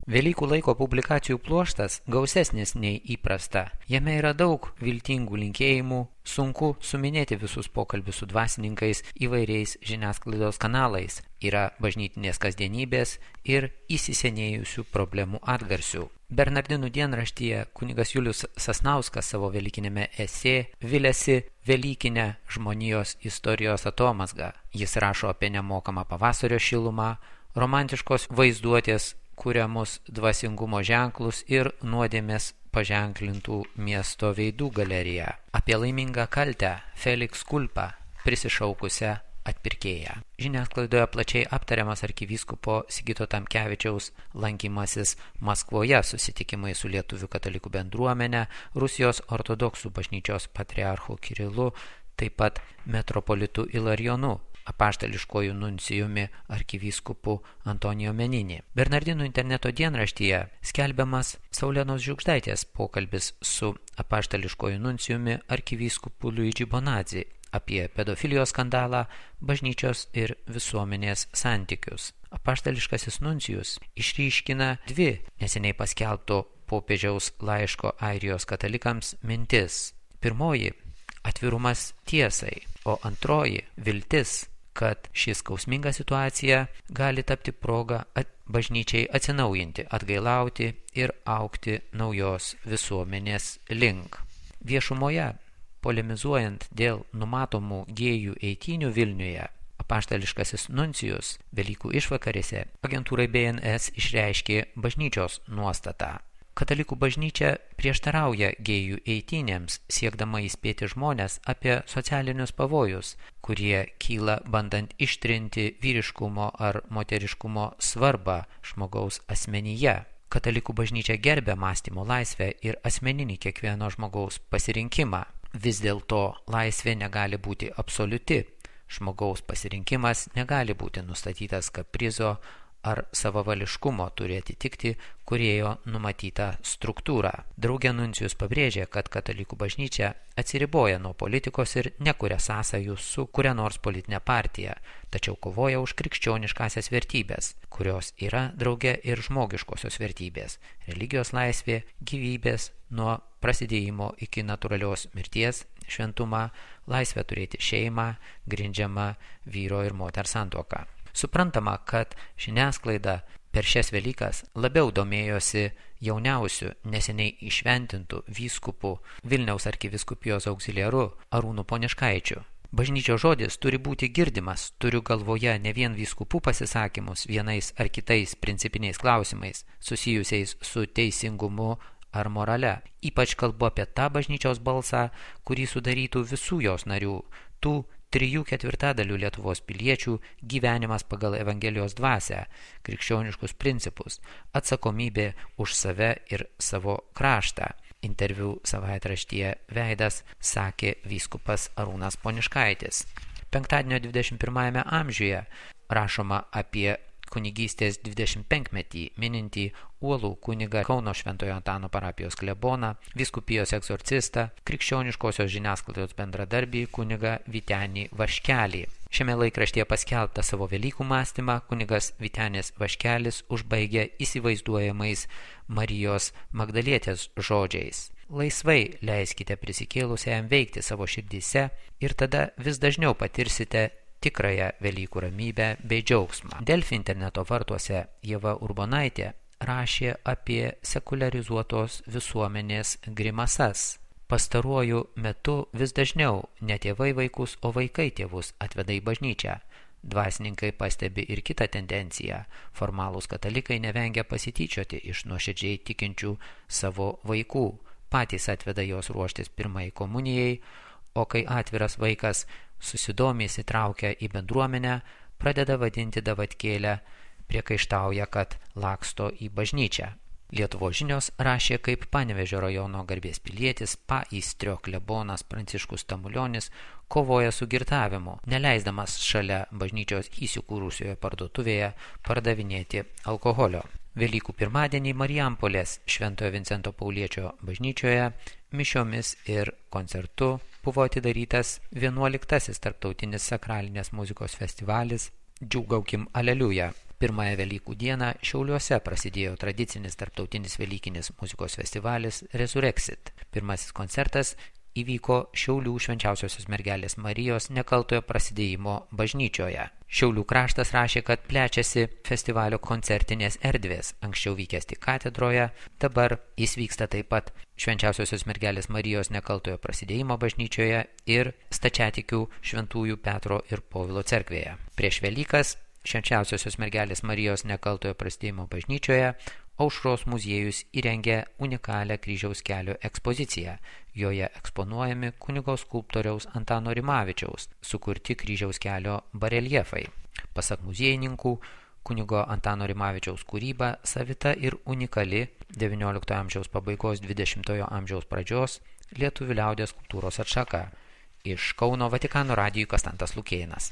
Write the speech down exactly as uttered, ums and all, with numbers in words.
Velykų laiko publikacijų pluoštas gausesnis nei įprasta. Jame yra daug viltingų linkėjimų, sunku suminėti visus pokalbius su dvasininkais įvairiais žiniasklaidos kanalais. Yra bažnytinės kasdienybės ir įsisenėjusių problemų atgarsių. Bernardinų dienraštyje kunigas Julius Sasnauskas savo velykinėme esė viliasi velykinę žmonijos istorijos atomazgą. Jis rašo apie nemokamą pavasario šilumą, romantiškos vaizduotės kuriamus dvasingumo ženklus ir nuodėmės paženklintų miesto veidų galeriją. Apie laimingą kaltę Felix Kulpa prisišaukusią atpirkėją. Žiniasklaidoje plačiai aptariamas arkivyskupo Sigito Tamkevičiaus lankymasis Maskvoje, susitikimai su lietuvių katalikų bendruomenė, Rusijos ortodoksų bažnyčios patriarchu Kirilu, taip pat metropolitu Ilarionu, apaštališkojų nuncijumi arkivyskupu Antonijo Meninį. Bernardinų interneto dienraštyje skelbiamas Saulenos Žiugždaitės pokalbis su apaštališkojų nuncijumi arkivyskupu Luigi Bonazzi apie pedofilijos skandalą, bažnyčios ir visuomenės santykius. Apaštališkasis nuncijus išryškina dvi neseniai paskelbto popiežiaus laiško Airijos katalikams mintis. Pirmoji – atvirumas tiesai, o antroji – viltis, kad ši skausminga situacija gali tapti proga at, bažnyčiai atsinaujinti, atgailauti ir augti naujos visuomenės link. Viešumoje, polemizuojant dėl numatomų gėjų eitynių Vilniuje, apaštališkasis nuncijus Velykų išvakarėse agentūrai B N S išreiškė bažnyčios nuostatą. Katalikų bažnyčia prieštarauja gėjų eitynėms, siekdama įspėti žmonės apie socialinius pavojus, kurie kyla bandant ištrinti vyriškumo ar moteriškumo svarbą žmogaus asmenyje. Katalikų bažnyčia gerbia mąstymo laisvę ir asmeninį kiekvieno žmogaus pasirinkimą. Vis dėlto laisvė negali būti absoliuti. Žmogaus pasirinkimas negali būti nustatytas kaprizo ar savavališkumo, turi atitikti kūrėjo numatytą struktūrą. Drauge nuncijus pabrėžė, kad katalikų bažnyčia atsiriboja nuo politikos ir nekuria sąsajų su kuria nors politinė partija, tačiau kovoja už krikščioniškasias vertybės, kurios yra drauge ir žmogiškosios vertybės – religijos laisvė, gyvybės nuo prasidėjimo iki natūralios mirties, šventumą, laisvę turėti šeimą, grindžiamą vyro ir moters santuoką. Suprantama, kad žiniasklaida per šias Velykas labiau domėjosi jauniausiu neseniai išventintų vyskupų Vilniaus arkivyskupijos auxiliaru Arūnu Poniškaičiu. Bažnyčios žodis turi būti girdimas, turiu galvoje ne vien vyskupų pasisakymus vienais ar kitais principiniais klausimais susijusiais su teisingumu ar morale. Ypač kalbu apie tą bažnyčios balsą, kurį sudarytų visų jos narių, tų trijų ketvirtadalių Lietuvos piliečių gyvenimas pagal Evangelijos dvasią, krikščioniškus principus, atsakomybė už save ir savo kraštą. Interviu savaitraštyje Veidas sakė vyskupas Arūnas Poniškaitis. Penktadienio dvidešimt pirmajame amžiuje rašoma apie kunigystės dvidešimtpenkmetį minintį uolų kunigą Kauno Šventojo Antano parapijos kleboną, vyskupijos egzorcistą, krikščioniškosios žiniasklaidos bendradarbį kunigą Vytenį Vaškelį. Šiame laikraštyje paskelbtą savo Velykų mąstymą kunigas Vytenis Vaškelis užbaigė įsivaizduojamais Marijos Magdalietės žodžiais. Laisvai leiskite prisikėlusiajam veikti savo širdyse ir tada vis dažniau patirsite tikrąją Velykų ramybę bei džiaugsmą. Delfi interneto vartuose Ieva Urbonaitė rašė apie sekuliarizuotos visuomenės grimasas. Pastaruoju metu vis dažniau ne tėvai vaikus, o vaikai tėvus atveda į bažnyčią. Dvasininkai pastebi ir kitą tendenciją. Formalūs katalikai nevengia pasityčioti iš nuoširdžiai tikinčių savo vaikų. Patys atveda jos ruoštis pirmai komunijai, o kai atviras vaikas susidomi įsitraukia į bendruomenę, pradeda vadinti davatkėlę, priekaištauja, kad laksto į bažnyčią. Lietuvos žinios rašė, kaip Panevėžio rajono garbės pilietis Paįstrio klebonas Pranciškus Tamulionis kovoja su girtavimu, neleisdamas šalia bažnyčios įsikūrusioje parduotuvėje pardavinėti alkoholio. Velykų pirmadienį Marijampolės Šventojo Vincento Pauliečio bažnyčioje mišiomis ir koncertu buvo atidarytas vienuoliktasis tarptautinis sakralinės muzikos festivalis Džiūgaukim Aleliuja. Pirmąją Velykų dieną Šiauliuose prasidėjo tradicinis tarptautinis velykinis muzikos festivalis Resurrexit. Pirmasis koncertas įvyko Šiaulių Švenčiausiosios mergelės Marijos Nekaltojo prasidėjimo bažnyčioje. Šiaulių kraštas rašė, kad plečiasi festivalio koncertinės erdvės, anksčiau vykęs tik katedroje, dabar jis vyksta taip pat Švenčiausiosios mergelės Marijos Nekaltojo prasidėjimo bažnyčioje ir stačiatikių Šventųjų Petro ir Povilo cerkvėje. Prieš Velykas Švenčiausiosios mergelės Marijos Nekaltojo prasidėjimo bažnyčioje Aušros muziejus įrengė unikalią kryžiaus kelio ekspoziciją. Joje eksponuojami kunigo skulptoriaus Antano Rimavičiaus sukurti kryžiaus kelio bareljefai. Pasak muziejininkų, kunigo Antano Rimavičiaus kūryba savita ir unikali devynioliktojo amžiaus pabaigos dvidešimtojo amžiaus pradžios lietuvių liaudies kultūros atšaka. Iš Kauno Vatikano radijui Konstantas Lukėnas.